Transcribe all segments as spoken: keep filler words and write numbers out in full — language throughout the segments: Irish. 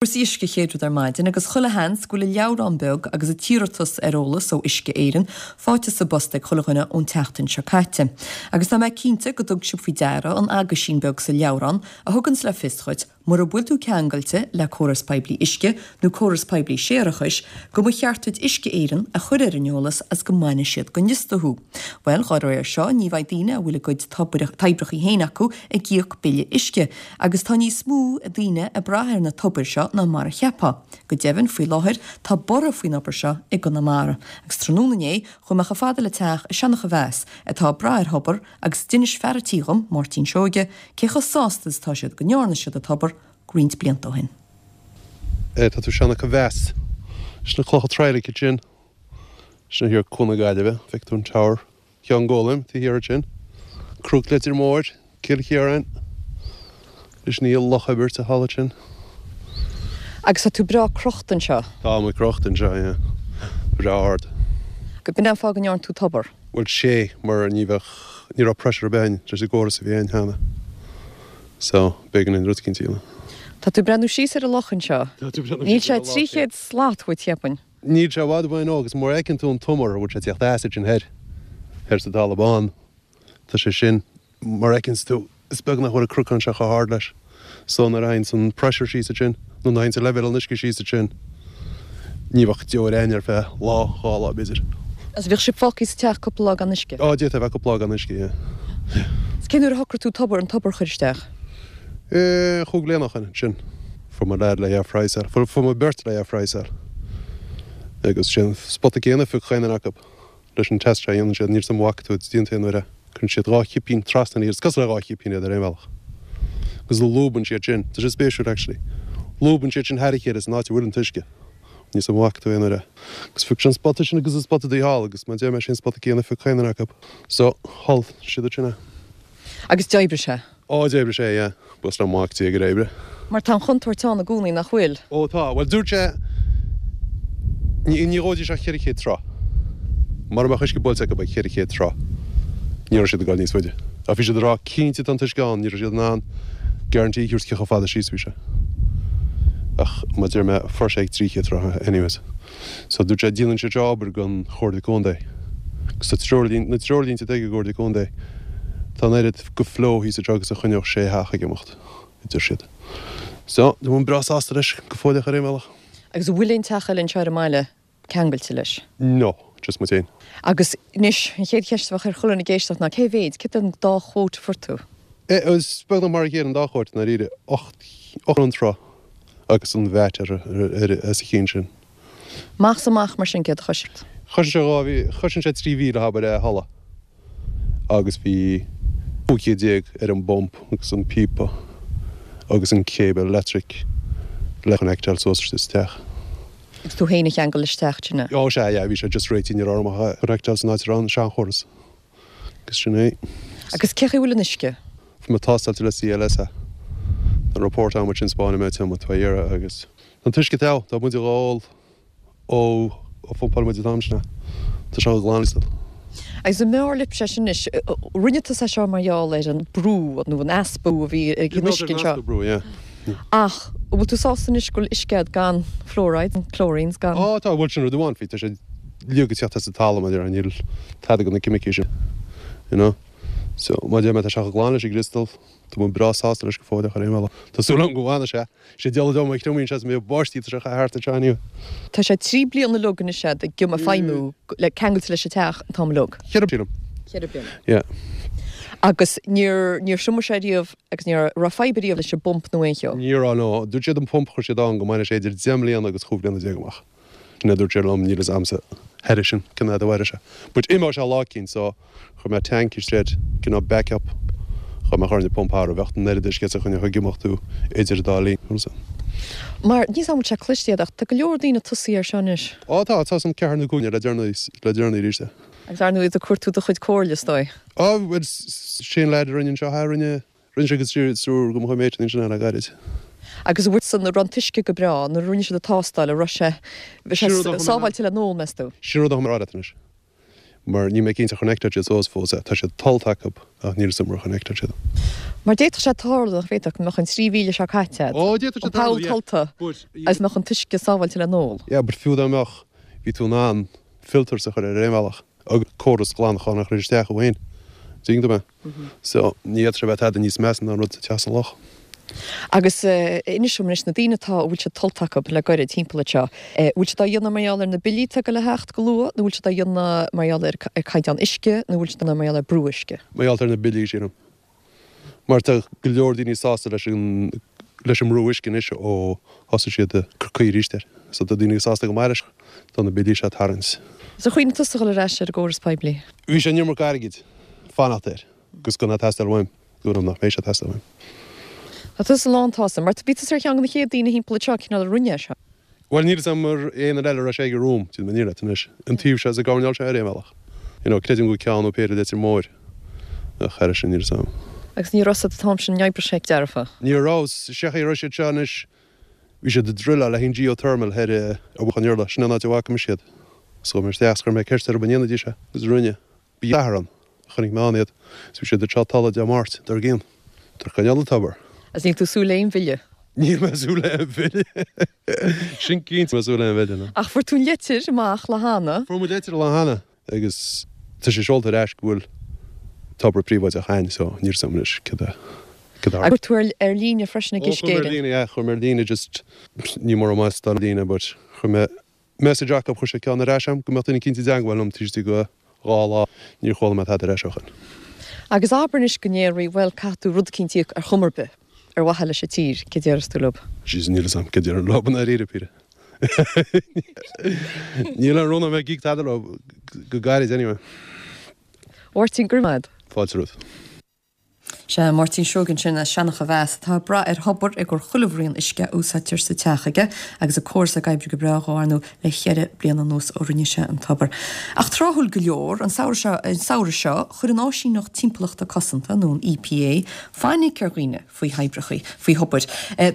Cúrsaí uisce chéad rud ar maidin agus chuile sheans go bhfuil an leabhrán beag agus an t-iarratas ar eolas ó Uisce Éireann faighte sa bpost ag chuile dhuine ón tseachtain seo caite. Agus tá mé cinnte go dtug sibh faoi deara an aguisín beag sa leabhrán a thuganns le fios dhuit mura bhfuil tú ceangailte le córas poiblí uisce nó córas poiblí séarachais go mba cheart duit Uisce Éireann a chur ar an eolas as go mbainfidh siad den liosta thú. Well dá réir seo ní bheidh daoine a bhfuil a gcuid toibreacha féin acu ag íoc bille uisce, agus tá níos mó daoine ag brath ar na tobair seo ná mar a cheapfá. Go deimhin faoi láthair tá borradh faoin obair seo i gConamara, agus tráthnóna inné chuaigh mé chomh fada le teach i Seancha Mheas atá ag brath ar thobar agus d'inis fear an tí dhom, Máirtín Seoige, cé chomh sásta is atá siad go ndearna siad an tobar roinnt blianta ó shin. Tá tú Seancha Mheas. Sin na clocha Tráigh sin. Sin thiar Cuan na Gaillimhe, feiceann tú an tower. Ceann Gólaim, taobh thiar sin. Cnoc Leitir Móir, Cill Chiaráin. Is ní loch oibir a thala sin. Agus tá tú breá crochta anseo. Tá mé crochta anseo, yeah. Breá ard. Go b'in an fáth go ndearna tú tobar. Bhuel sé mar ní bheadh ní raibh pressure ar bith ann leis an gcóras a bhí ann cheana. So b'éigean an rud cinnte a dhéanamh. Tá tú breathnú síos ar an loch anseo. Níl sé trí chéad slat uait cheapfainn. Níl sé i bhfad uainn ó agus mar fheiceann tú an t-umar a bhfuil sé teacht as sin thoir thoir sa talamh bán. Tá sé sin mar fheiceann tú is beag nach bhfuil an cnocán seo chomh hard leis. So nuair a théann an pressure síos sin nó nuair a théann an leibhéal an uisce síos sin ní bheadh deoir ann ar feadh lá dhá lá b'fhéidir. Agus bheadh sibh fágtha sa teach cúpla lá gan uisce. Á d'fhéadfadh bheith cúpla lá gan uisce, yeah. Is cén uair a shocraigh tú tobar an tobar a chur isteach? Eh, chúig bliana ó shin sin. Fuair mo leaid le phraghsáil. Fuair fuair mo beirt le phraghsáil. Agus sin spota céanna phioc chaon acu leis an test seo a dhéanann siad níl san bhfaca tú déanta aon uair é. Cuireann siad dhá chipín trasna is cosúil le dhá chipín iad ar aon bhealach. Agus lúbann siad sin, Tá sé spéisiúil actually. Lúbann siad sin thar a chéile san áit a bhfuil an t-uisce. Níl san bhfaca tú aon uair é. Agus phioc sin spota sin agus an spota dí thall agus má deir mé sin spota céanna phioc chaon acu. So thall siad sin é. Agus d'oibrigh sé. Á d'oibrigh sé, yeah. Bus le mac tí gur oibre. Mar tá an chontúirt ann i gcónaí nach bhfuil. Ó tá, well dúirt sé ní ní dhóidí sé ceithre chéad troigh. Mar mbeadh uisce buailte acu ag ceithre chéad troigh. Ní raibh siad ag dul níos faide. Ach bhí siad ag rá cinnte tá an t-uisce ann, ní raibh siad in ann guarantee a thabhairt cé chomh fada síos bhí sé. Ach má deir mé fuair sé ag trí chéad troigh anyways. So dúirt sé déanann sé seo obair don Chomhairle Contae. Agus tá treoirlín na treoirlínte atá ag an gComhairle Contae tá an oiread go flow thíos anseo agus a choinneodh sé theach ag imeacht, a deir siad. So, tá mé breá sásta leis go fóilleach ar aon bhealach. Agus an bhfuil aon teach eile anseo ar an mbaile ceangailte leis. No, just muid féin. Agus anois an chéad cheist a bheadh ar chuile dhuine ag éisteacht ná cé mhéid, céard an dá quote a fuair tú? Eh, is beagnach mar a chéile an dá quote dáiríre ocht ocht an troigh agus an VAT ar ar as a chinn sin. Amach is amach mar sin céard a chois. Chosain sé dhá mhí chosain sé trí mhíle abair é halla agus bhí cúig chéad déag ar an bpump agus an píopa agus an cable electric le connectáil suas isteach. Agus tú féin a cheangal isteach sin. Ó sé yeah, bhí sé just réitithe ní raibh orm ach connectáil san áit a raibh an seanchóras. Agus sin é. Agus cé chaoi bhfuil an uisce? Bhí mé tástáilte le CLS é. An report am sin spáin mé te tá iarraidh agus an t-uisce te tá muid ag ól ó ó phumpáil muid an t-am sin. Tá sé glan. Agus an mb'fhearr libh sé sin anois rinne tú é seo mar gheall ar an brú nó an easpa a bhí ag an uisce anseo. brú, yeah. Ach bhfuil tú sásta anois go bhfuil uisce gan fluoride, chlorines gan. Ó tá bhfuil sin rud amháin faoi tá sé liag teacht as an talamh mar níl tada go na ceimicí sin. You know? So má deir mé tá sé glan leis an gcriostal, Tá mé breá sásta leis go fóilleach ar aon bhealach. Tá súil agam go bhfanfaidh sé. Sé dealbh dom a chriomaíonn sé mé báistí tá sé thart anseo inniu. Tá sé trí bliana uilig anois ag gim ag feidhmiú le ceangailte leis an teach an t-am uilig. Ceithre bliana. Ceithre bliana. Yeah. Agus níor níor thriomaigh sé riamh agus níor raibh fadhb riamh leis an bpump nó aon cheo. Ní raibh no. Dúirt siad an pump chuir siad ann go mbainfeadh sé idir deich mbliana agus chúig bliana déag amach. Sin é dúirt sé liom níl a fhios agamsa thairis sin cén fhad a mhairfeadh sé. But imeoidh sé lá eicínt so chuir mé tank isteach cineál backup chun mé chur in pump thar a bheadh an oiread uisce a choinneodh ag imeacht tú idir dá linn. Mar ní am sé cliste ach tá go leor daoine tosaí ar seo anois. Ó tá tá san ceathair nó cúig le deireanaí le deireanaí arís. Agus ar ndóigh do chuir tú do chuid comhairle is dóigh. Á bhuel sin leaid a rinne anseo a rinne rinne sé go triúr go mo chuid méid sin le gairid. Agus bhfuil san raibh an t-uisce go breá nuair a rinne siad an tástáil a raibh sé bhí sé sábháilte le n-ól meas tú. Sin rud a rá anois. Mar níl mé cinnte ar chonnectáil siad suas fós é. Tá sé tollta acu ach níl 'fhios a'm ar chonnectáil siad. Mar d'fhéadfadh sé tarlú nach bhféadfadh go mbeadh an trí mhíle seo caite agat. Ó, d'fhéadfadh sé An poll tarlú, yeah. tollta But, agus mbeadh an t-uisce sábháilte le n-ól. Yeah, but fiú dá mbeadh, bhí tú in ann filters a chur ar aon bhealach agus córas glantacháin a chur isteach ó shin. Tuigeann tú mé? So, ní fhéadfadh sé bheith tada níos measa ná an rud sa teach sa loch. Agus inis dom anois na daoine atá a bhfuil sé tollta acu le gairid timpeall anseo, bhfuil siad á dhéanamh mar gheall ar na billí atá ag dul a theacht go luath nó bhfuil siad á dhéanamh mar gheall ar ar caighdeán uisce nó bhfuil siad á dhéanamh mar gheall ar brú uisce? Mar gheall ar na billí, sílim. Mar tá go leor daoine sásta leis an leis an mbrú uisce anois ó thosaigh siad ag cur caoi arís air. So tá daoine sásta go maith leis, tá na billí seo ag tarraingt. Is ar chuimhnigh tusa dhul ar ais ar an gcóras poiblí? Bhí sé an iomarca airgid fanacht air agus gan é ag teastáil uaim, go raibh nach mbeidh sé ag teastáil uaim. Tá tusa lánsásta, mar bhí tusa ar cheann de na chéad daoine thimpeall anseo cineál a rinne é seo. Bhuel níl 'fhios a'm ar aon eile a raibh sé ag romham, déanfaidh mé an fhírinne leat anois. An taobh seo is an gcoirnéal seo ar aon bhealach. You know, creidim go bhfuil ceann nó péire i Leitir Móir ach thairis sin níl 'fhios a'm. Agus ní raibh an t-am sin oibre sé dearfa. Ní raibh, sé chaoi a raibh siad seo anois, bhí siad ag druileáil le haghaidh geothermal thoir ar Mhullach an Iarla, sin an áit a bhfaca mise iad. So chuaigh mé isteach 's chuir mé ceist orthu an ndéanfaidís é, agus rinne. Bhí athair ann, chonaic mé ann iad, 's bhí siad ag treabhadh talamh Dé Máirt dár gcionn. Tar coinneáil an tobar. Agus níl tú ag súil le aon bhille? Níl mé ag súil le aon bhille. Sin cinnte, níl mé ag súil le aon bhille, no. Ach fuair tú an leitir amach lá cheana? Fuair muid leitir lá cheana agus tá sé seolta ar ais go bhfuil tobar príobháideach againn so níl 'fhios a'm anois cad é cad a Agus chuir tú ar ar líne freisin ag Ó Uisce chuir mé ar Éireann? líne, yeah, chuir mé ar líne just ní mórán maith ar líne but chuir mé message acu chuir sé ceann ar ais a'm go mbeadh duine cinnte i dteangmháil liom taobh istigh de dhá lá níor chuala mé tada ar ais ó shin. Agus abair anois go ndéarfaí bhuel caithfidh tú rud eicínt a íoc ar chuma ar bith ar mhaithe leis an tír, cé déarfas tú leo? Jeez níl 'fhios a'm cé déarfainn leo i ndáiríre píre. Níl aon rún a'm ag íoc tada leo go gairid anyway. Mháirtín, go raibh maith agat. Fáilte romhat. Sea, Máirtín Seoighe ansin as Seancha Mheas atá ag brath ar thobar i gcomhair chuile bhraon uisce a úsáidtear sa teach aige agus an córas ag oibriú go breá dhó ar ndóigh le cheithre bliana anuas ó rinne sé an tobar. Ach tráthúil go leor, an samhradh seo, an samhradh seo, chuir an Áisíneacht Timpeallachta Cosanta, nó an EPA, fainic ar dhaoine faoi thoibreacha, faoi thobair.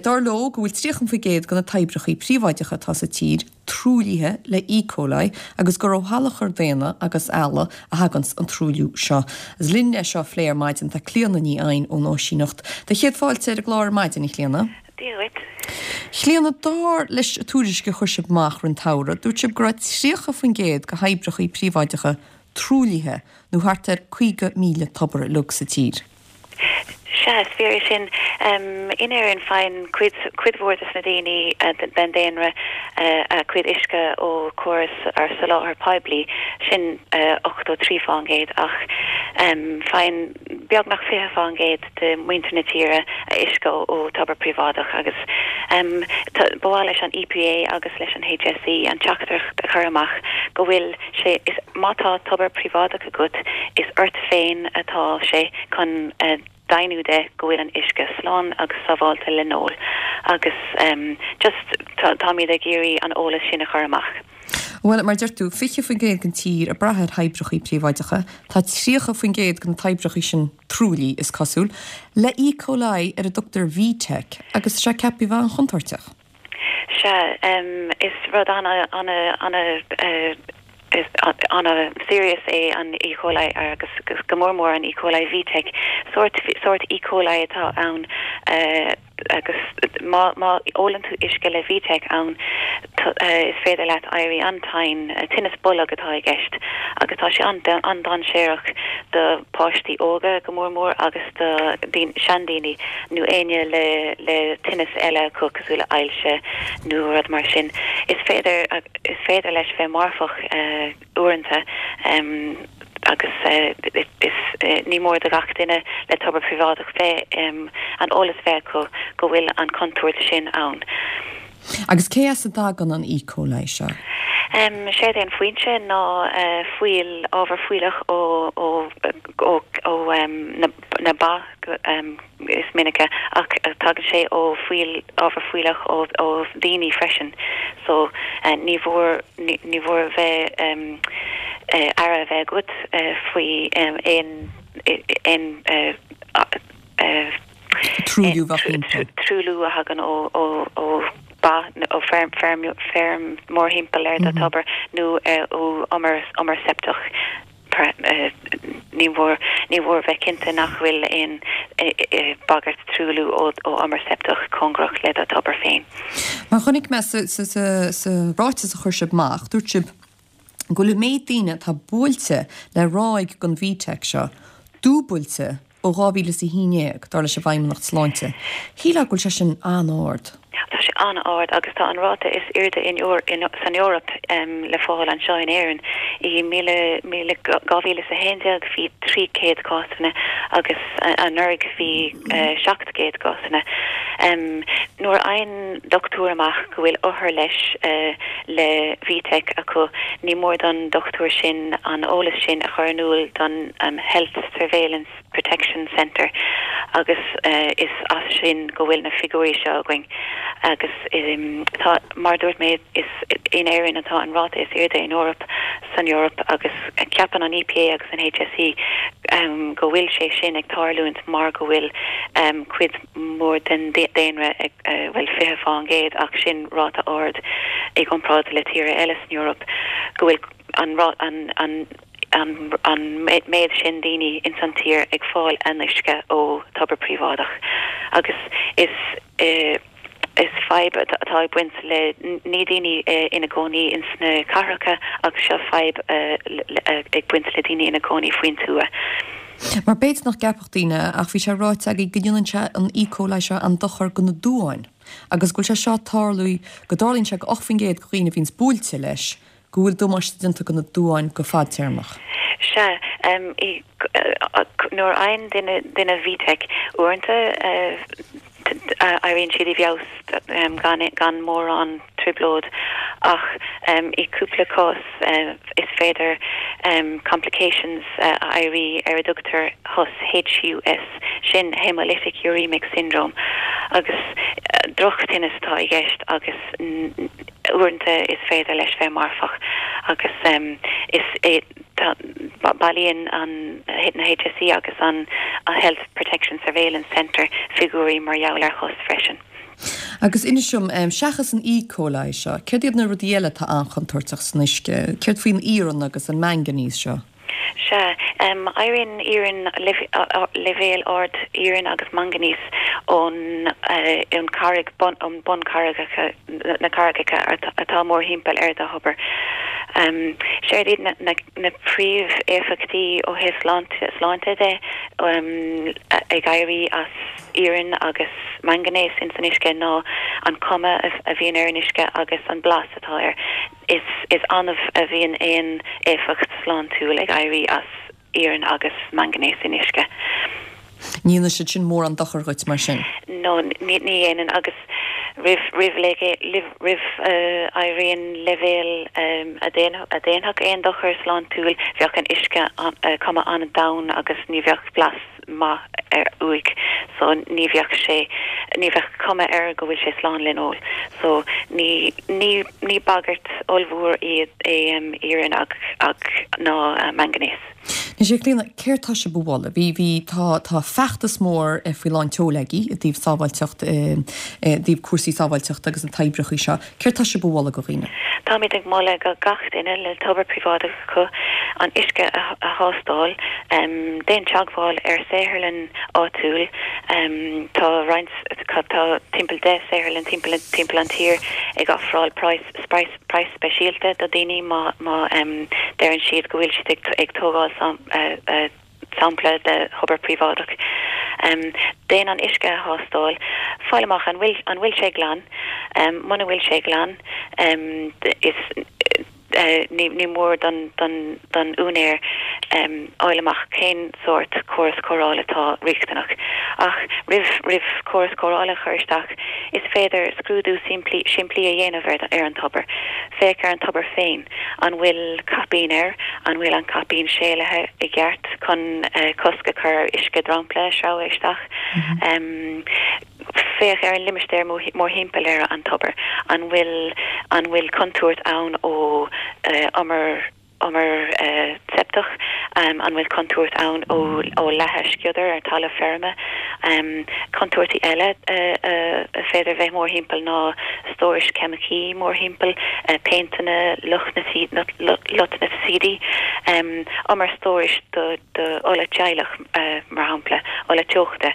Dar leo go bhfuil tríocha faoin gcéad de na toibreacha príobháideacha atá sa tír truaillithe le E. coli agus gur ó shalachar daonna agus ealla a thaganns an truailliú seo. Is linn é seo a phlé ar maidin tá Clíona Ní Eidhin ón Áisíneacht. Do chéad fáilte ar an gclár ar maidin, a Chlíona. Dia dhuit. Clíona, dar leis an tuairisc a chuir sibh amach roimh an tsamhradh, dúirt sibh go raibh tríocha faoin gcéad de thoibreacha príobháideacha truaillithe nó thart ar caoga míle tobar uilig sa tír. Sea, is fíor é sin. In Éirinn faigheann cuid, cuid mhór de na daoine den daonra a cuid uisce ó chóras ar soláthar poiblí, sin ochtó trí faoin gcéad, ach faigheann beagnach fiche faoin gcéad de mhuintir na tíre a uisce ó tobar príobháideach agus ba mhaith leis an EPA agus leis an HSE an teachtaireacht a chur amach go bhfuil sé, is má tá tobar príobháideach agat, is ort féin atá sé chun deimhniú de go bhfuil an uisce slán agus sábháilte le n-ól agus just táimid ag iarraidh an eolas sin a chur amach. Bhuel, mar deir tú, fiche faoin gcéad den tír ag brath ar thoibreacha príobháideacha, tá tríocha faoin gcéad de na toibreacha sin truaillithe, is cosúil, le E. coli ar a dtugtar VTEC agus tá sé ceaptha a bheith an-chontúirteach. Sea, is rud ana, ana, ana, is ana-serious é an E. coli agus go mór mór an E. coli VTEC. Sórt, sórt E. coli atá ann agus má, má ólann tú uisce le VTEC ann is féidir leat éirí an-tinn, tinneas bolg atá i gceist agus tá sé an-dainséarach do pháistí óga go mór mór agus do seandaoine nó éinne le, le tinneas eile acu cosúil le ailse nó rud mar sin. Is féidir, is féidir leis bheith marfach uaireanta agus is ní mór do gach duine le tobar príobháideach bheith an eolas bheith acu go bhfuil an chontúirt sin ann. Agus cé as a dtagann an E. coli seo? Séard é an foinse ná fuíoll, ábhar fuílleach ó ó ó ó na na ba is minice ach tagann sé ó fuíoll, ábhar fuílleach ó ó daoine freisin. So ní mhór ní mhór bheith aire a bheith agat faoi aon aon Truailliú bheadh timpeall. truailliú a thagann ó ó ó ba ó feirm feirm feirm mórthimpeall ar do thobar nó ó umar umar seipteach. ní mór ní mór bheith cinnte nach bhfuil aon bagairt truailliú ó ó umar seipteach cóngarach le do thobar féin. Mar chonaic mé sa sa sa sa ráiteas a chuir sibh amach, dúirt sibh go bhfuil méid daoine atá buailte le ráig den VTEC seo dúbailte ó dhá mhíle is a haon déag, dar leis an bhFeidhmeannacht Sláinte. Shílfeá go bhfuil sé sin an-ard. Tá sé an-ard agus tá an ráta is airde in in san Eoraip um, le fáil anseo in Éirinn. I míle míle dhá mhíle is a haon déag bhí trí chéad cásanna agus uh, anuraidh bhí uh, seacht gcéad cásanna. Um, nuair a fhaigheann dochtúir amach go bhfuil othar leis uh, le VTEC acu ní mór don dochtúir sin an eolas sin a chur in iúl don um, Health Surveillance Protection Centre agus uh, is as sin go bhfuil na figiúirí seo againn agus um, tá mar dúirt mé is in Éirinn atá an ráta is airde in Eoraip san Eoraip agus ceapann an EPA agus an HSE um, go bhfuil sé sin ag tarlúint mar go bhfuil um, cuid mór den daonra ag uh, bhfuil fiche faoin gcéad ach sin ráta ard i gcomparáid le tíortha eile san Eoraip go bhfuil an an an an, an méid sin daoine in san tír ag fáil an uisce ó tobar príobháideach agus is uh, is fadhb atá ag baint le ní daoine uh, ina gcónaí in sna cathracha agus seo fadhb uh, ag baint le daoine ina gcónaí faoin tuath. Mar b'fhéidir nach gceapfadh daoine ach bhí sé ráite agaibh go ndéanann sé an E. coli seo an dochar do na duáin. agus go bhfuil sé seo tarlú go dtarlaíonn sé go ocht faoin gcéad de dhaoine a bhíonns buailte leis, go bhfuil damáiste déanta do na duáin go fadtéarmach. Sea um, nuair a fhaigheann duine duine VTEC uaireanta éiríonn siad i bhfeabhas um, gan, gan mórán trioblóid ach um, i cúpla cás uh, is féidir um, complications uh, a éirí ar a dtugtar HUS HUS sin hemolytic uremic syndrome agus uh, drochtinneas atá i gceist agus uaireanta is féidir leis bheith marfach agus um, is é bailíonn an na HSE agus an a Health Protection Surveillance Centre figiúirí mar gheall ar HUS freisin. Agus inis dom um, seachas an E. coli seo, céard iad na rudaí eile atá an-chontúirteach san uisce, Céard faoin iarann agus an manganese seo. Sea um, éiríonn iarann leibhéal ard iarainn agus manganese ón uh, ón carraig bun um buncarraigeacha na carraigeacha atá mórthimpeall ar do thobar. Um, Séard iad na, na, na príomhéifeachtaí ó thaobh sláinte sláinte de um, ag éirí as iarann agus manganese in san uisce ná an cuma a, a bhíonn ar an uisce agus an blas atá air. Is, is annamh a bhíonn aon éifeacht sláintiúil ag éirí as iarann agus manganese in uisce. Ní dhéanann siad sin mórán dochar dhuit mar sin. No ní ní dhéanann agus roimh roimh roimh éiríonn leibhéal um, a a dhéanfadh aon dochar sláintiúil bheadh an uisce uh, cuma an-donn agus ní bheadh blas maith air uaidh so ní bheadh sé ní bheadh cuma air go bhfuil sé slán le n-ól so ní ní ní bagairt ollmhór iad é um, iarann ag ag ná uh, manganese. Ní sé lína céir tá se bhla, bhí bhí tá tá feachtas mór eh, faoi lán tseoil agaibh i dtaobh sábháilteacht eh, eh, dtaobh cúrsaí sábháilteachta agus an toibreacha seo, Céard tá sibh a mholadh do dhaoine. Táimid ag moladh go gach duine le tobar príobháideach acu an uisce a, a thástáil um, déan teagmháil ar saotharlann áitiúil um, tá roinnt tá timpeall deich saotharlann timpeall timpeall an tír ag ofráil praghas praghas speisialta do daoine má má um, deireann siad go bhfuil siad ag, ag tógáil sam, uh, uh, sampla de thobar príobháideach. Um, déan an uisce a thástáil, fáil amach an bhfuil an bhfuil sé glan, um, muna bhfuil sé glan, um, is uh, ní, ní mór don, don, don úinéir um, fháil amach cén sórt córas cóireála atá riachtanach. Ach roimh roimh córas cóireála a chur isteach is féidir scrúdú simplí simplí a dhéanamh ar, ar an tobar. Féach ar an tobar féin an bhfuil caipín air an bhfuil an caipín séalaithe i gceart chun uh, cosc a chur ar uisce dromchla sreabhadh isteach. Mm -hmm. um, féach ar an limistéar mórthimpeall ar an tobar an bhfuil an bhfuil contúirt ann ó uh, umar umar uh, septeach contúirteach, an bhfuil contúirt ann ó ó leathadh sciodair ar talamh feirme. Contúirtí eile a féidir bheith mórthimpeall ná stórais ceimicí mórthimpeall, péinteanna, lotnaidicídí, umar stórais do do ola teaghlach mar shampla, ola teochta.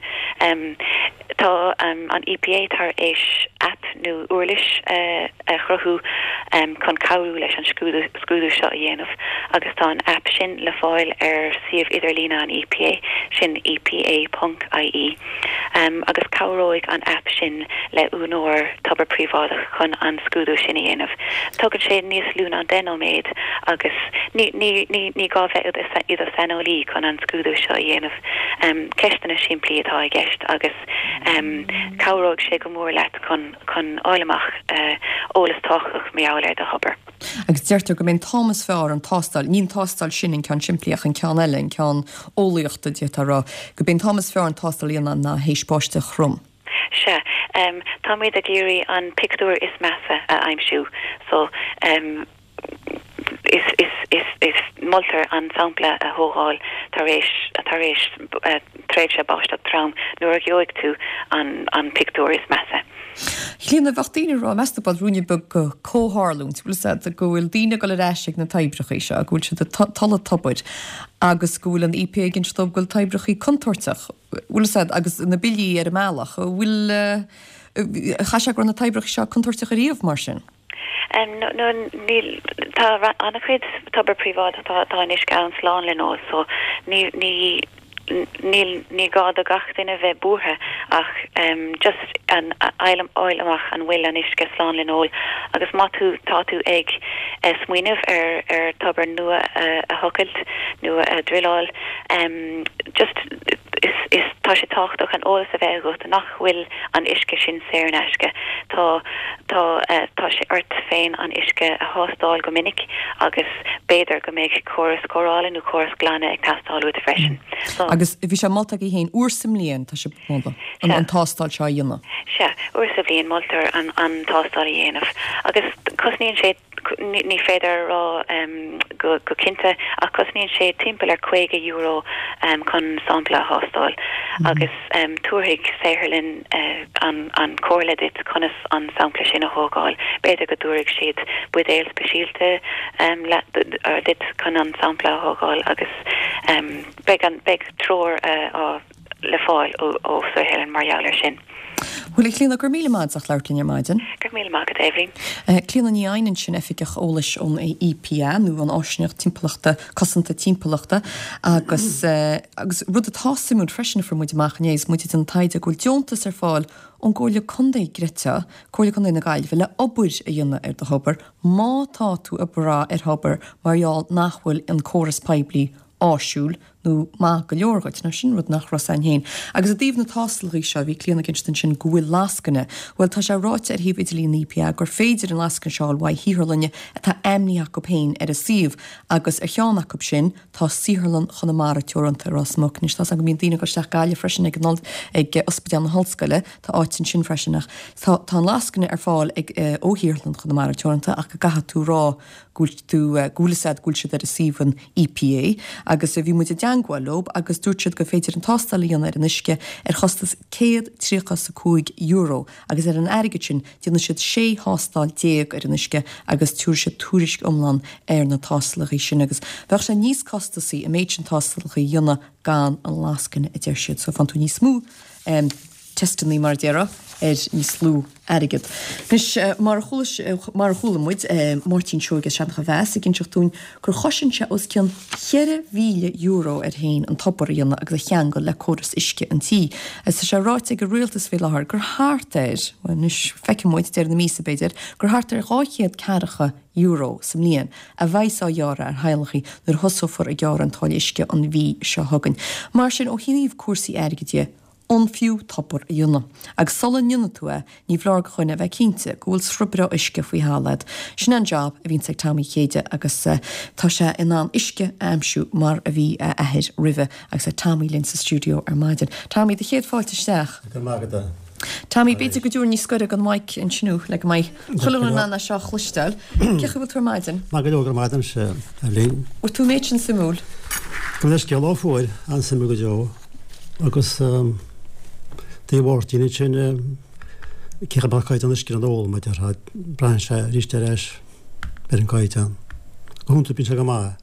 Tá an EPA tar éis aip nó uirlis a chruthú chun cabhrú leis an scrúdú scrúdú seo a dhéanamh agus tá an aip sin le fáil ar suíomh idirlíne an EPA, sin EPA ponc IE, agus cabhróidh an aip sin le úinéir tobar príobháideach chun an scrúdú sin a dhéanamh. Tógann sé níos lú ná deich nóiméad agus ní ní ní ní gá bheith i do shaineolaí chun an scrúdú seo a dhéanamh. Ceisteanna simplí atá i gceist agus cabhróidh sé go mór leat chun chun fháil amach eolas tábhachtach mar gheall ar do thobar. Agus deirtear go mb'é an t-am is fearr an tástáil, ní an tástáil sin an ceann simplí ach an ceann eile, an ceann eolaíochta d'fhéadfá a rá, go mb'é an t-am is fearr an tástáil a dhéanamh ná théis báisteach throm. Sea, táimid ag iarraidh an pictiúr is measa a aimsiú so is is is is moltar an sampla a thógáil tar éis tar éis tréimhse báisteach trom nuair a gheobhaidh tú an an pictiúr is measa. Clíona, bheadh daoine ag rá, meas tú ruainne beag de chomhtharlúint, bhfuil fhios agat, go bhfuil daoine ag dul ar ais ag na toibreacha seo, go bhfuil siad ag tolladh tobair agus go bhfuil an EPA ag inse dóibh go bhfuil toibreacha contúirteach, bhfuil fhios agat, agus na billí ar an mbealach, bhfuil, chaithfeadh sé go raibh na toibreacha seo contúirteach ariamh mar sin? No, níl, tá an-chuid tobar príobháideach, tá tá an uisce ann slán le n-ól so ní ní níl ní gá do gach duine bheith buartha ach just an fháil fháil amach an bhfuil an uisce slán le n-ól agus má tú tá tú ag smaoineamh ar ar tobar nua a a thochailt nó a druileáil just is is tá sé tábhachtach an eolas a bheith agat nach bhfuil an uisce sin saor in aisce. Tá tá tá sé ort féin an uisce a thástáil go minic agus b'fhéidir go mbeidh córas cóireála nó córas glanadh ag teastáil uait freisin. So Agus bhí sé molta aige féin uair sa mbliain tá sé molta an an tástáil seo a dhéanamh. Sea, uair sa bhliain moltar an an tástáil a dhéanamh agus cosnaíonn sé ní féidir a rá go go cinnte ach cosnaíonn sé timpeall ar caoga euro chun sampla a thástáil agus tabharfaidh saotharlann an an comhairle duit conas an sampla sin a thógáil. B'fhéidir go dtabharfaidh siad buidéal speisialta duit chun an sampla a thógáil agus beidh an beidh treoir á le fáil ó ó saotharlann mar gheall air sin. Bhuel a Chlíona, go raibh míle maith agat as labhairt linn ar maidin. Go raibh míle maith agat Eibhlín. Clíona Ní Eidhin ansin oifigeach eolais ón EPA nó an Áisíneacht Timpeallachta Cosanta Timpeallachta agus agus rud atá suimiúil freisin a fuair muid amach inné is muid ag déanamh taighde go bhfuil deontas ar fáil ón gComhairle Contae Greta, Comhairle Contae na Gaillimhe le obair a dhéanamh ar do thobar má tá tú ag brath ar thobar mar gheall nach bhfuil an córas poiblí áisiúil nó maith go leor dhuit. Now sin rud nach raibh 's againn féin. Agus i dtaobh na tástálacha seo, bhí Clíona ag insint ansin go bhfuil lascaine. Bhuel, tá sé ráite ar shuíomh idirlín an EPA gur féidir an lascaine seo a fháil uaidh shaotharlainne atá ainmnithe acu féin ar a suíomh agus ar cheann acu sin tá Saotharlann Chonamara Teoranta i Ros Muc. Anois tá 's agam go mbíonn daoine ag dul isteach Gaillimh freisin ag an ag Ospidéal na hOllscoile, tá áit ansin freisin ach tá tá an lascaine ar fáil ag ó Shaotharlann Chonamara Teoranta ach go gcaithfidh tú rá go bhfuil tú go bhfuil 'fhios a'd go bhfuil siad ar a suíomh an EPA agus bhí muid i dteangmháil leo agus dúirt siad gur féidir an tástáil a dhéanamh ar an uisce ar chostas céad tríocha is a cúig euro agus ar an airgead sin déanfaidh siad sé thástáil déag ar an uisce agus tabharfaidh siad tuairisc iomlán ar na tástálacha sin agus bheadh sé níos costasaí an méid sin tástálacha a dhéanamh gan an lascaine a deir siad so faigheann tú níos mó teisteanna mar a déarfá ar níos lú airgead. Anois mar a chuala mar a chuala muid Máirtín Seoige as Seancha Mheas ag inseacht dúinn gur chosain sé os cionn cheithre mhíle euro air féin an tobar a dhéanamh agus a cheangal le córas uisce an tí. Agus tá sé ráite ag an rialtas faoi láthair gur thart ar, bhuel anois feicfidh muid deireadh na míosa b'fhéidir, gur thart ar dhá chéad ceathracha euro sa mbliain a bheidh á ghearradh ar theaghlaigh nuair a thosófar ag gearradh an táille uisce an mhí seo chugainn. Mar sin ó thaobh cúrsaí airgid dhe, an fiú tobar a dhéanamh. Agus sula ndéanfaidh tú é, ní foláir do dhuine a bheith cinnte go bhfuil sruth breá uisce faoi thalamh agat. Sin an job a bhíonns ag Tommy Chéide agus tá sé in ann uisce a aimsiú mar a bhí a athair roimhe agus tá Tommy linn sa stiúideo ar maidin. Tommy, do chéad fáilte isteach. Go raibh maith agat. Tommy, b'fhéidir go dtabharfainn níos gaire don mic ansin thú le go mbeidh chuile dhuine in ann é seo a chloisteáil. Cén chaoi a bhfuil tú ar maidin? Maith go leor, go raibh maith agat, Eibhlín. Bhfuil tú an méid sin suimiúil? Gabh mo leithscéal, ó fuair, an-suimiúil go deo. Agus dé Mháirtín ansin, cé chomh maith caighdeán uisce an ól, mar a déarfá, braitheann sé arís ar ais ar an gcaighdeán. Go hiondúil bíonn sé go maith.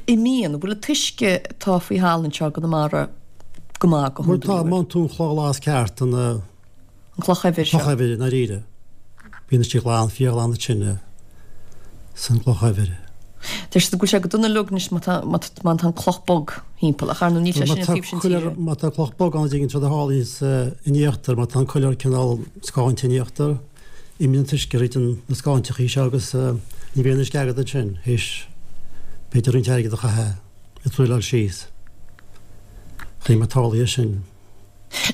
An mbíonn, bhfuil an t-uisce atá faoi thalamh anseo i gConamara go maith go Bhuel tá, hiondúil? má fhaigheann tú an chloch ghlas ceart, an An chloch eibhir seo. chloch eibhir i ndáiríre. Bíonn uisce glan, fíorghlan ansin san gcloch eibhir. Deir siad go bhfuil sé go dona uilig anois má tá má tá má tá an cloch bog thimpeall, ach ar ndóigh níl sé Má sin an tá taobh sin coiléar, tíre. má tá cloch bog ann a dtuigeann tú rud a tharlaíonns in íochtar, má tá an coiléar cineál scáinte in íochtar, imíonn an t-uisce thríd an na scáinteachaí seo agus ní bhíonn uisce agat ansin théis b'fhéidir roinnt airgid a chaitheamh ag druileáil síos. Chím a tarlaíonn sin.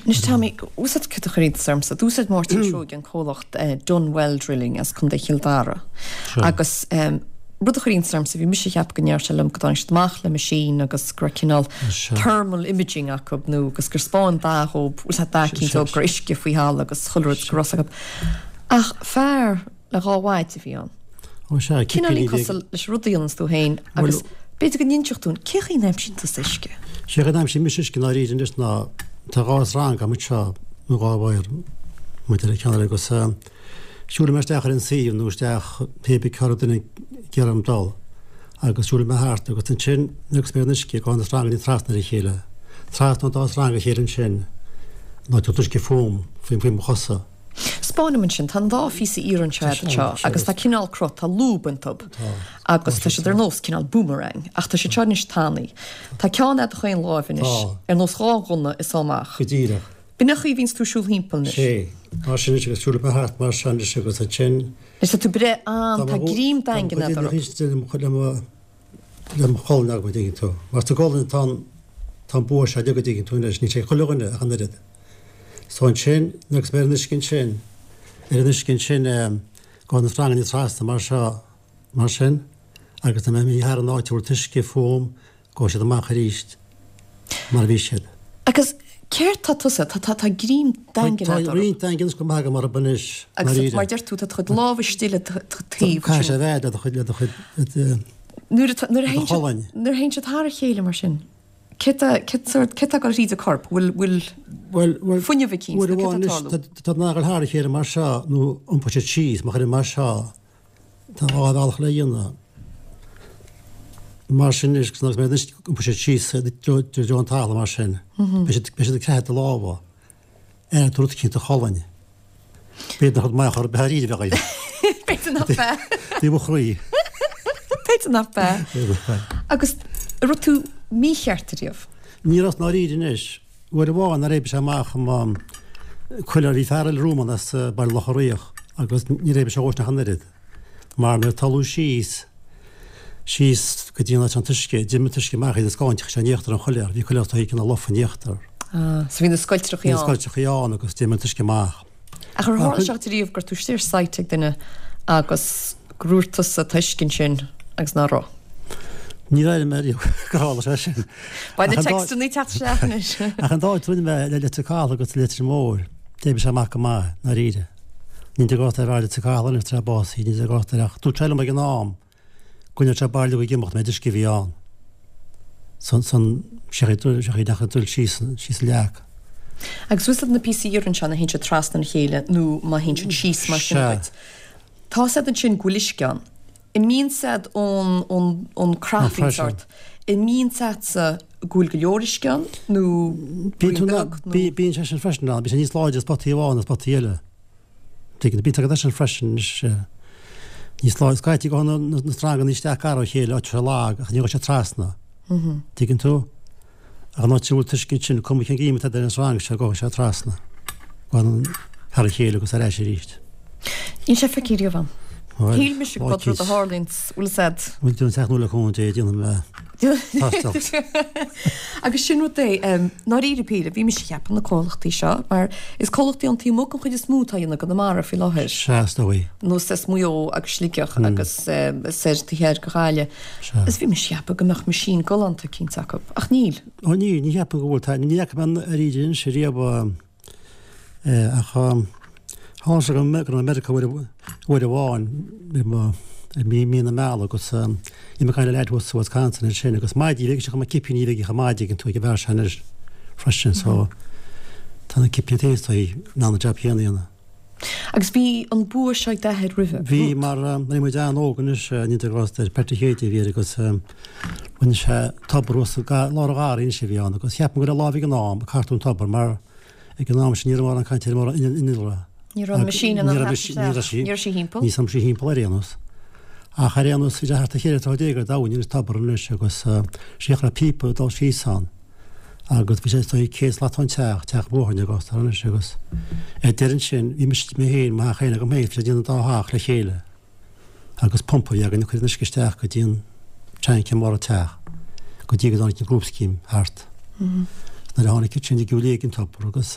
Anois Tommy, úsáid cad a chuir iontas ormsa. D'úsáid Máirtín Seoighe an comhlacht Dunne Well Drilling as Contae Chill Dara. Agus rud a chuir iontas ormsa, bhí mise ag ceapadh go ndeir sé liom go dtáinig siad amach le machine agus go raibh cineál thermal imaging acu nó agus gur 'spáin dath dhób, bhfuil sé dath cinnte dhób go raibh uisce faoi thalamh agus chuile rud go raibh acu. Ach fear le dhá mhaide a bhí ann. Ó sea, Cineáilín cipíní cosúil leis an rud a dhéananns tú féin agus b'fhéidir go n-inseodh dúinn cé chaoi a n-aimsíonn tusa uisce? Sé go n-aimsím mise uisce i ndáiríre anois ná tá dhá sreang agam anseo, nó dhá wire, maidir le ceann eile agus siúlfaidh mé isteach ar an suíomh nó isteach pé bith cá raibh duine ag iarraidh orm dul agus siúlfaidh mé thart agus ansin agus mé ar an uisce gabhann na sreanganna trasna ar a chéile, trasna an dá sreang a chéile ansin nó tá an t-uisce fúm, faoi mo chosa. 'Spáin dom ansin, tá an dá phíosa iarainn seo agat anseo agus tá cineál cruth, tá lúb iontu agus tá siad ar nós cineál boomerang ach tá siad seo anois tanaí. Tá ceann agat chaon láimh anois, ar nós dhá ghunna is amach. Go díreach. B'in an chaoi a bhíonns tú ag siúl thimpeall anois. Sé, mar sin anois agus siúlfaidh mé thart mar seo anois agus ansin. Anois tá tú ag breith an, tá greim daingean agat orthu. Le mo, le mo cholainn agam, an dtuigeann tú. Mar sa gcolainn tá an, tá an bua seo uilig, an dtuigeann tú anois, níl sé ag chuile dhuine ach an oiread. So ansin, agus mé ar an uisce ansin, ar an uisce ansin, gabhann na sreanganna trasna mar seo, mar sin, agus dá mbeinn imithe thar an áit a bhfuil an t-uisce fúm, gabhfaidh siad amach arís mar a bhí siad. Agus céard tá tusa, tá, tá, tá greim daingean Tá agat orthu. roinnt daingean go maith agam orthu anois, Agus ndáiríre. mar deir tú, tá do chuid lámh istigh le do taobh Caithfidh sé ansin. a bheith le do chuid, le do chuid, le do, Nuair atá, nuair a le do théann siad, cholainn. nuair a théann siad thar a chéile mar sin, Céard tá, céard tá ag dul thríd an corp? Bhfuil, bhfuil Bhuel, bhuel, fuinneamh eicínt uair nó céard amháin tá anois, ag tarlú? tá, tá na thar a chéile mar seo nó iompóidh siad síos, má chuirim mar seo, tá dhá bhealach le dhéanamh. Mar sin anois, agus mé anois iompóidh siad síos i dtreo, i dtreo an talaimh mar sin. Beidh siad, beidh siad ag creathadh do lámha. Ar tú rud eicínt do cholainn. B'fhéidir nach rud maith chor ar bith dáiríre a bheadh é. B'fhéidir nach b'ea. Bhí mo chroí. B'fhéidir nach b'ea. Agus an raibh tú mícheart ariamh? Ní raibh i ndáiríre anois. Uair amháin nár oibrigh sé amach i mo coiléar bhí fear eile romham as Baile Locha Riach agus níor oibrigh sé dhósan ach an oiread. Mar nuair a tarlú síos síos go dtí an áit an t-uisce, d'imigh an t-uisce amach iad scáinteach sé in íochtar an choiléar, bhí coiléar tugtha cineál lofa in íochtar. Ah, so bhí na scoiltreachaí Bhí na ann. scoiltreachaí ann agus d'imigh an t-uisce amach. Ach ar tharla sé duit riamh go raibh tú istigh ar site ag duine agus gur dhúirt tusa tá uisce ansin agus ná raibh? Níor airigh mé riamh gur tharla sé sin. Beidh na Ach an dá- textanna ag teacht isteach anois. Ach an dá áit a rinne mé le Leitir Cathail agus Leitir Móir, d'oibrigh sé amach go maith, i ndáiríre. Níl de ghort ar fhear Leitir Cathail anois tar bás, níl de ghort ar ach dúirt sé liom ag an am go ndéanfadh sé bail ag imeacht méid uisce a bhí ann. San san sé sé nach dul síos síos an leac. Agus bhfuil na píosaí iarainn seo a théann siad trasna a chéile nó má théann siad síos mar sin Sea. duit. Tá siad ansin go bhfuil uisce ann. Imíonn siad ón ón ón craifín pressure. sort. Imíonn siad go bhfuil go leor uisce ann nó Bíonn tú braon na- beag nó bí- bíonn sé sin freisin ann, bíonn sé níos láidre spotaí amháin ná spotaí eile. Tuigeann, bíonn agat sin freisin anois, eh, níos láidre, scaití go na na sreanganna isteach gar ó chéile áit sé lag ach ní raibh sé trasna. Tuigeann tú? Ach an áit a bhfuil t-uisce ansin, cuma cén ghreim atá ar an sreang seo, gabhfaidh sé trasna. Gabhann thar a chéile agus ar ais arís. Níl sé feicthe riamh agam. Bhuel, Shíl mise go rud a tharlaíonn bhfuil said. Bhfuil tú an teach nua le cúnamh Dé déanfaidh mé tástáil. Agus sin rud é ndáiríre píre, bhí mise ag ceapadh na comhlachtaí seo, mar is comhlachtaí ón taobh amuigh an chuid is mó atá ag déanamh i gConamara faoi láthair. Sea, is dóigh. Nó as Maigh Eo agus Sligeach agus soir taobh thiar de Ghaillimh. Sea. Is bhí mise ag ceapadh go mbeadh machine galánta eicínt acu, ach níl. Ó ní, ní cheapaim go bhfuil. Tá, ní fhaca mé ar íde anois riamh Ach tharla sé go raibh mé i Meiriceá uair amháin i mí na meala agus bhí mé ag caint le leaid thuas sa Wisconsin ansin agus maidí bhí sé chomh maith cipíní a bhí aige chomh maith ag an tú ag an bhfear seo anois freisin so tá na cipíní taobh istigh in ann an jab céanna a dhéanamh. Agus bhí an bua seo ag d'athair roimhe? Bhí mar bhí muid an-óg anois naoi déag thart ar beirt a chéide a bhí air agus rinne sé tobar thuas i lár an gharraí anois a bhí ann agus cheap mé go raibh lámh ag an am ag cartadh an tobar mar Ag an am sin ní raibh mórán cainte ar mhórán innealra. Ní raibh an machine in ann theacht isteach. Ní raibh sí thimpeall. Ní raibh sí thimpeall ar aon nós. Ach ar aon nós bhí sé thart ar cheithre troigh déag ar domhain an tobar anois agus síoch raibh píopa ag dul síos ann agus bhí sé is dóigh céad slat ón teach, teach bóthair na gcostar anois agus ar deireadh ansin bhí mise mé féin, mo theach féin agam féin, bhí sé ag déanamh an dá theach le chéile. Agus pumpa a bhí againn ag cur an uisce isteach go dtí an tank i mbarr an teach go dtí go dtáinig an group scheme thart. Nuair a tháinig siad sin ag gabháil ag an tobar agus.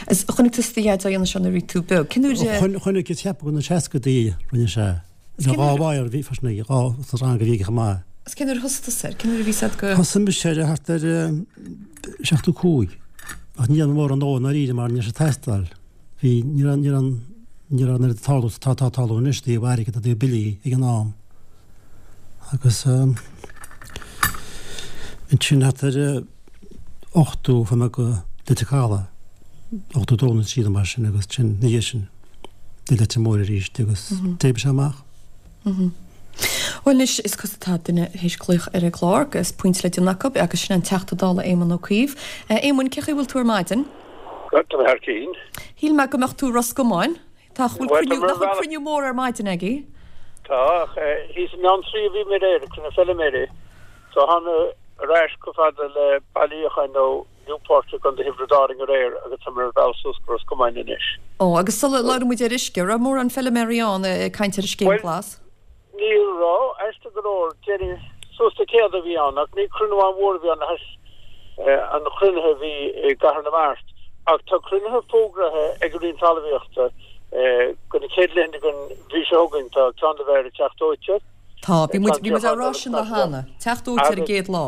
Is chonaic tusa do dhaid á dhéanamh seo nuair a bhí tú beag. Cén uair a. Chonaic, is ceapadh go na seascadaí rinne sé. Bhí dhá mháthair bhí freisin aige, dhá sa rang a bhí aige chomh maith. Is cén uair a thosaigh tusa air? Cén uair a bhí siad go. Thosaigh mise air thart ar seachtó cúig. Ach ní dhéanamh mórán dó i ndáiríre mar ní raibh sé ag teastáil. Bhí, ní raibh, ní raibh an, ní raibh an oiread ag tarlú is atá ag tarlú anois, i dtaobh airgid, i dtaobh billí ag an am. Agus ansin thart ar ochtó fuair mé go Leitir Caladh, ochtó dó nó trí nó mar sin agus ansin ina dhiaidh sin go Leitir Móir arís agus d'oibrigh sé amach. Bhuel anois is cosúil tá duine théis glaoch ar an gclár agus pointe le déanamh acu agus sin an Teachta Dála Éamon Ó Cuív. Éamoin, cén chaoi a bhfuil tú ar maidin? Tá mé thar cinn. Shíl mé go mbeadh tú i Ros Comáin. Tá, bhfuil cruinniú, nach bhfuil cruinniú mór ar maidin agaibh? Tá, ach thíos i mBeanntraí a bhí mé aréir ag cruinniú feilméaraí. So thána ar ais chomh fada le Baile Fhiacháin nó Newport i gContae Thiobraid Árann aréir agus tá mé ar bealach suas go Ros Comáin anois. Ó, agus sula labhraíonn muid ar uisce, raibh mórán feilméaraí ann ag caint ar an scéim Bhuel, ghlas? ní raibh, aisteach go leor, déarfainn suas le céad a bhí ann ach ní cruinniú an-mhór a bhí ann le hais an chruinnithe a bhí i gCathair na Mart. Ach tá cruinnithe fógraithe ag an Roinn Talmhaíochta do na chéad laethanta den mhí seo chugainn, tá ceann le bheith ar an Teach Dóite. Tá, bhí muid, bhí muid á rá sin lá cheana. Teach Dóite ar an gcéad lá.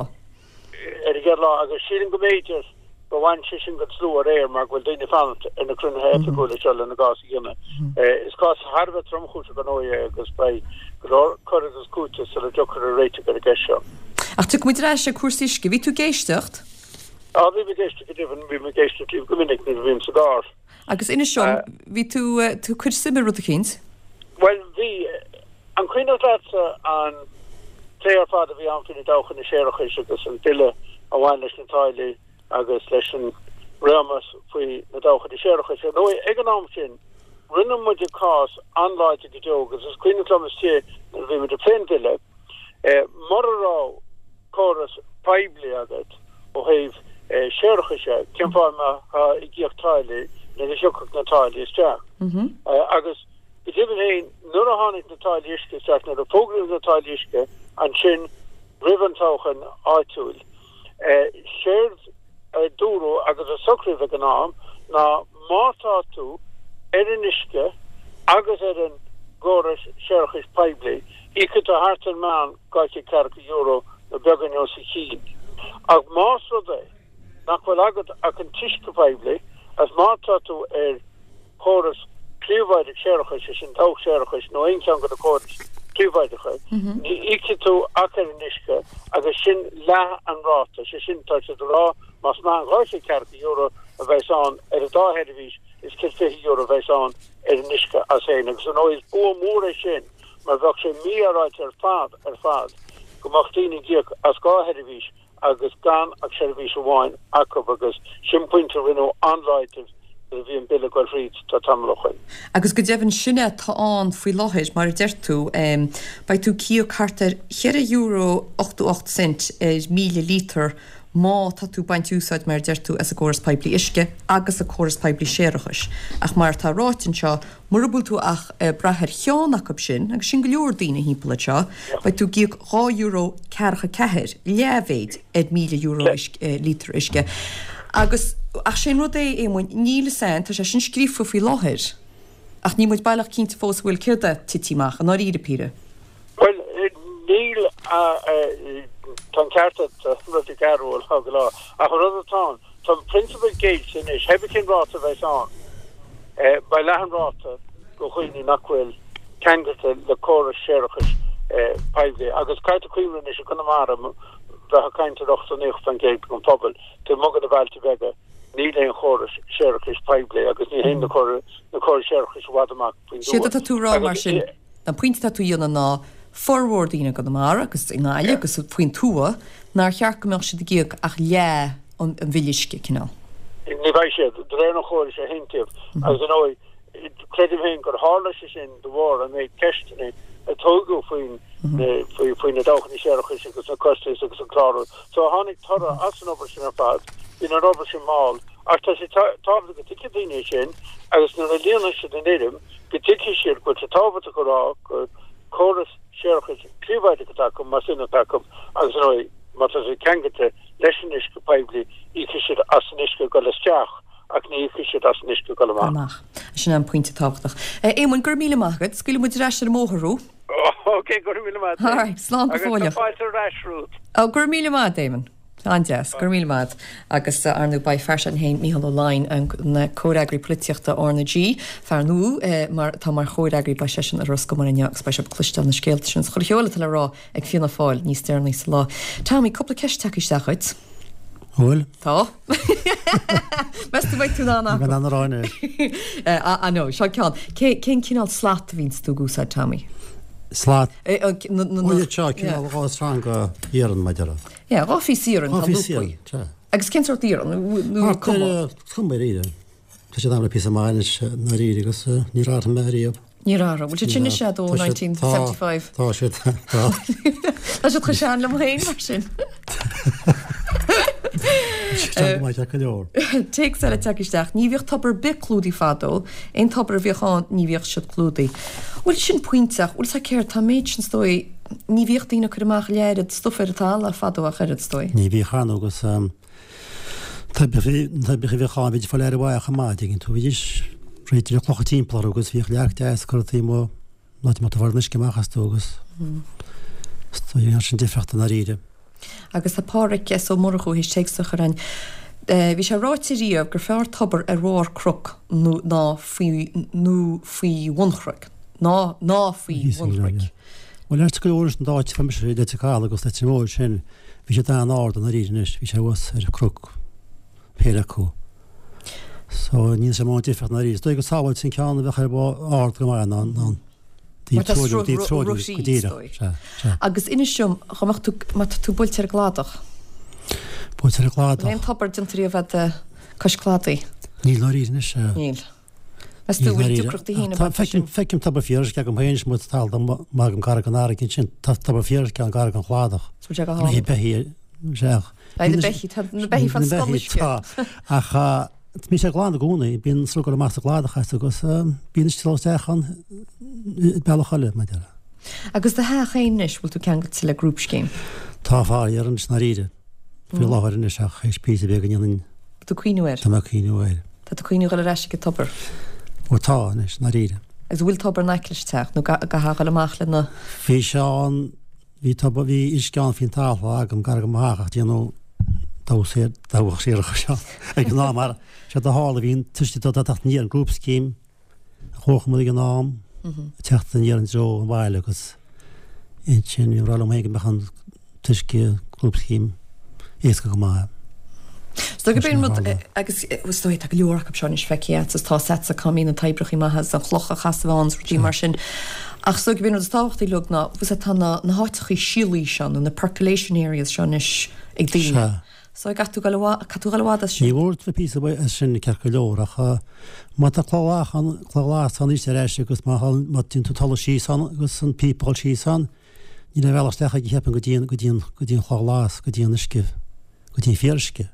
Ar an gcéad lá agus sílim go mb'fhéidir gur bhain sé sin den slua aréir mar go bhfuil daoine ag fanacht ar na cruinnithe oifigiúla seo lena gcás a dhéanamh. Is cás thar a bheith tromchúiseach ar ndóigh é agus beidh go leor cur agus cúiteamh sula dtiocfar ar réiteach ar an gceist seo. Ach tiocfaidh muid ar ais ag cúrsaí uisce. Bhí tú ag éisteacht? Á, bhí mé ag éisteacht go deimhin, bhí mé ag éisteacht libh go minic nuair a bhím sa gcarr. Agus inis dom, bhí tú, tú ag cur suim i rud eicínt? Bhuel, bhí. An cuimhneach leatsa an plé ar fad a bhí ann faoi na dabhchanna séarachais agus an bille a bhain leis na táillí agus leis an réimeas faoi na dabhchanna séarachais? Ar ndóigh, ag an am sin, rinne muide cás an-láidir go deo agus is cuimhneach liom istigh nuair a bhí muid ag plé an bhille, mura raibh córas poiblí agat ó thaobh séarachais de, cén fáth a mbeifeá ag íoc táillí nuair a thiocfadh na táillí isteach? Agus go deimhin féin, nuair a tháinig na táillí uisce isteach, nuair a fógraíodh na táillí uisce ansin roimh an toghchán áitiúil, séard a dúradh agus a socraíodh ag an am ná má tá tú ar an uisce agus ar an gcóras séarachais poiblí, íocfaidh tú thart ar meán dhá chéad ceathracha euro nó beagáinín os a chionn. Ach más rud é nach bhfuil agat ach an t-uisce poiblí agus má tá tú ar chóras príobháideach séarachais, sé sin dabhach séarachais nó aon cheann de na córais phríobháideacha, ní íocfaidh tú ach ar an uisce agus sin leath an ráta, sé sin tá siad ag rá más meán dhá chéad ceathracha euro a bheas ann ar an dá sheirbhís is céad fiche euro a bheas ann ar an uisce as féin agus ar ndóigh is bua mór é sin mar bheadh sé mífhéaráilte ar fad ar fad go mbeadh daoine ag íoc as dhá sheirbhís agus gan ach seirbhís amháin acu agus sin pointe a rinneadh an-láidir nuair a bhí an bille ag goil thríd tá tamall ó shoin. Agus go deimhin sin é atá ann faoi láthair, mar a deir tú, beidh tú ag íoc thart ar cheithre euro ochtó ocht cent ar míle lítear má tá tú ag baint úsáid, mar a deir tú, as an gcóras poiblí uisce agus an córas poiblí séarachais. Ach mar atá ráite anseo, Mura bhfuil tú ach ag brath ar cheann acu sin, agus sin go leor daoine thimpeall anseo, beidh tú ag íoc dhá euro ceathracha ceathair, leathmhéid, ar míle euro lítear uisce. Agus, ach sé an rud é, Éamoinn, níl fhios a'inn, tá sé sin scríofa faoi láthair, ach níl muid baileach cinnte fós an bhfuil céard é tití amach, i ndáiríre píre. Bhuel, níl, tá an ceart agat, rud a gceathrú ó lá go lá, ach an rud atá ann, Tá an prionsabal géillte anois, pé cén ráta a bheas ann, beidh leath an ráta do dhaoine nach bhfuil ceangailte le córas séarachais poiblí. Agus caithfidh tú cuimhneamh anois i gConamara, bheith ag caint ar ochtó naoi faoin gcéad den phobal, taobh amuigh de na bailte beaga, níl aon chóras séarachais poiblí agus ní théann na córais séarachais i bhfad amach faoin Séard dtuath. atá tú a rá mar sin, an pointe atá tú a dhéanamh ná formhór daoine i gConamara agus i nGaillimh agus faoin tuath nár cheart go mbeadh siad ag íoc ach leath an bhille uisce, cineál. Ní bheidh siad, de réir an chórais a haontaíodh. Agus ar ndóigh, creidim féin gur tharla sé sin de bharr an méid ceisteanna a tógadh faoin faoi na dabhchanna séarachais agus na costais agus an clárú. So tháinig toradh as an obair sin ar fad. Bíonn an obair sin mall ach tá sé tábhachtach go dtuigfidh daoine é sin agus nuair a líonann siad an fhoirm go dtuigfidh siad go bhfuil sé tábhachtach a rá gur córas séarachais príobháideach atá acu más in atá acu agus ar ndóigh má tá siad ceangailte leis an uisce poiblí íocfaidh siad as an uisce ag dul isteach ach ní íocfaidh siad as an uisce ag dul amach. amach. Sin an pointe tábhachtach. Éamoinn, go raibh míle maith agat. Scaoilfidh muid ar ais ar an mbóthar thú. Ok, go raibh míle maith agat. Alright, slán go Agus fóilleach. tá fáilte ar ais romhat. Ó, go raibh míle maith agat, Éamonn. An-deas. Go raibh míle maith agat. Agus ar ndóigh beidh fear sin féin, Mícheál Ó Laighin, an comhfhreagraí polaitíochta R na G, fear nua mar atá mar chomhfhreagraí, beidh seisean i Ros Comáin inniu agus beidh sibh ag cloisteáil na scéalta sin is chuile cheol atá le rá ag Fianna Fáil níos deireanaí sa lá. Tommy, cúpla ceist tagtha isteach dhuit. Bhfuil? Tá. Meas tú mbeidh tú in ann Ní acu? bheidh in ann a rá anois. Ah no, seo ceann. Cé, cén cineál slat a bhíonns tú ag úsáid, Tommy? Slat? Eh, na, na, Ó, iad seo, cineál dhá sreang iarainn, mar a déarfá. Yeah, dhá phíosa iarainn, Dhá tá phíosa lúpaí. iarainn, sea. Agus cén sórt iarann? Nó Thart ar, cuma? cuma ar iarraidh. Tá siad agam le píosa maith anois, i ndáiríre, agus níor athraigh mé ariamh. Níor athraigh. Bhfuil siad sin anois agat ó Tá siad, nineteen tá, seventy five? tá siad, tá. Tá siad chomh sean liom féin, mar sin. Tá go maith go leor. Téacs eile tagtha isteach. Ní bhíodh tobar ar bith clúdaithe fadó. Aon tobar a bhíodh ann, ní bhíodh siad clúdaithe. Bhuel, sin pointe ach, bhfuil 's agat céard, tá an méid sin, is dóigh, ní bhíodh daoine ag cur amach an oiread stuif ar an talamh fadó ach oiread, is dóigh. Ní bhíodh ar ndóigh agus toibreacha, na toibreacha a bhíodh ann, bhídís ag fáil aire mhaith chomh maith, dtuigeann tú, bhídís réitithe le clocha timpeall orthu agus bhíodh leac deas curtha taobh amuigh, an áit a mbeadh tú ag fáil an uisce amach astu agus is dóigh an sin difríocht i ndáiríre. Agus tá Pádhraic S. Ó Murchú théis téacs a chur chugainn. Bhí sé ráite riamh gur fearr tobar ar bharr cnoc nó ná faoi nó faoi bhun chnoic. Ná ná faoi bhun chnoic. Bhuel, ait go leor leis an dá áit a bhí mise, Leitir Caladh agus Leitir Móir sin, bhí siad an-ard i ndáiríre anois, bhí sé thuas ar chnoc, péire acu. So ní sé mórán difríocht i ndáiríre. Is dóigh gur sábháilte an ceann a bheadh ar bharr ard go maith ná ná Mar tá taobh sruth taobh ru- go rothaí, is díreach. dóigh. Sea, sea. Agus inis dom, dá mbeadh tú, má tá tú buailte ar an gcladach. Buailte ar an gcladach. Bhfuil aon tobar déanta riamh agat cois cladaigh? Níl i ndáiríre anois. Níl. Meas tú bhfuil deacrachtaí féin ag baint leis sin? Feicim tobar fíoruisce agam féin is muid talamh maith agam gar don fharraige ansin. Tá tobar fíoruisce ann gar don chladach. Is bhfuil sé go Na hálainn. beithí, sea. Beidh na beithí, tá na beithí fan Na beithí, scoil uisce. tá. Ach bíonn sé glan i gcónaí, bíonn sruth ag dul amach sa gcladach as agus bíonn uisce ag dul isteach ann bealach eile, mar a déarfá. Agus do theach féin anois, bhfuil tú ceangailte le grúpscéim? Tá faraor anois i ndáiríre. Faoi láthair anois ach théis píosa beag a ndéanann. Tá tú ag cuimhniú air? Tá mé ag cuimhniú air. Tá tú ag cuimhniú dhul ar ais ag an tobar? Ó tá anois, i ndáiríre. Agus bhfuil tobar in aice leis an teach nó caithfeá dhul amach lena. Bhí sé ann, bhí tobar, bhí uisce ann faoin talamh agam gar do mo theach ach déanadh dabhach saor, dabhach séarachais ann ag an am mar séard a tharla, bhí an t-uisce ag teacht aniar an grúpscéim a chomharchumann ag an am, ag teacht aniar i dtreo an bhaile agus ansin bhí mé ag rá liom féin go mbeadh an t-uisce grúpscéim éasca go maith. Is dóigh gurb é an rud, agus is dóigh tá go leor acu seo anois feicthe agat is tá 's agatsa cá mbíonn na toibreacha maithe is an chloch a chasadh ann is rudaí mar sin. Ach is dóigh gurb é an rud is tábhachtaí uilig ná bhfuil tá na na háiteachaí siolaí seo nó na percolation areas seo anois ag daoine. Sea. So caithfidh tú dul i bhfad, caithfidh tú dul i bhfad as sin. Ní mór duit píosa as sin ceart go leor ach má tá cloch ann, cloch ghlas ann arís ar ais agus má má téann tú talamh síos ann agus an píopa ag dul síos ann, níl aon bhealach isteach aige cheapfainn go dtí an, go dtí an, go dtí an chloch ghlas, go dtí an uisce, go dtí an fíoruisce.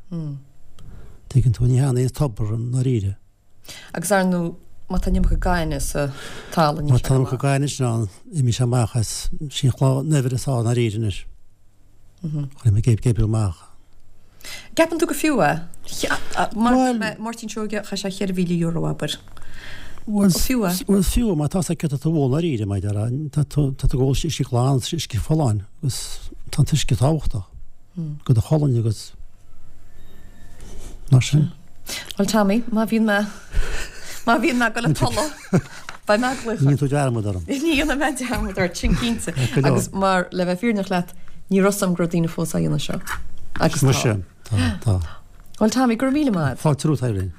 Tuigeann tú, ní hea aon tobar i ndáiríre. Agus ar ndóigh, má tá an iomarca gainimh sa talamh, níl Má sé tá go an iomarca maith. gainimh sin ann, imíonn sé amach as, sin chloch an eibhir is ann i ndáiríre anois. Chuir mé ag oibriú amach. Ceapann tú gur fiú é? Máirtín Seoige, chaith sé cheithre mhíle euro, abair. Bhuel, fiú é? Bhuel, fiú, má tá céard atá tú a ól i ndáiríre, mar a déarfá, tá tú tá tú ag ól uisce glan, uisce folláin, agus tá an t-uisce tábhachtach do do cholainn agus Mar sin. Bhuel Tommy, má bhíonn mé má bhíonn mé ag dul ag tolladh, beidh mé ag glaoch. Ní dhéanfaidh tú dearmad orm. Ní dhéanfaidh mé dearmad ort, sin cinnte. Agus mar le bheith fírinneach leat, ní raibh 'fhios a'm go raibh daoine fós á dhéanamh seo. Agus tá. Muise, tá, tá. Bhuel Tommy, go raibh míle maith. Fáilte romhat, Irene.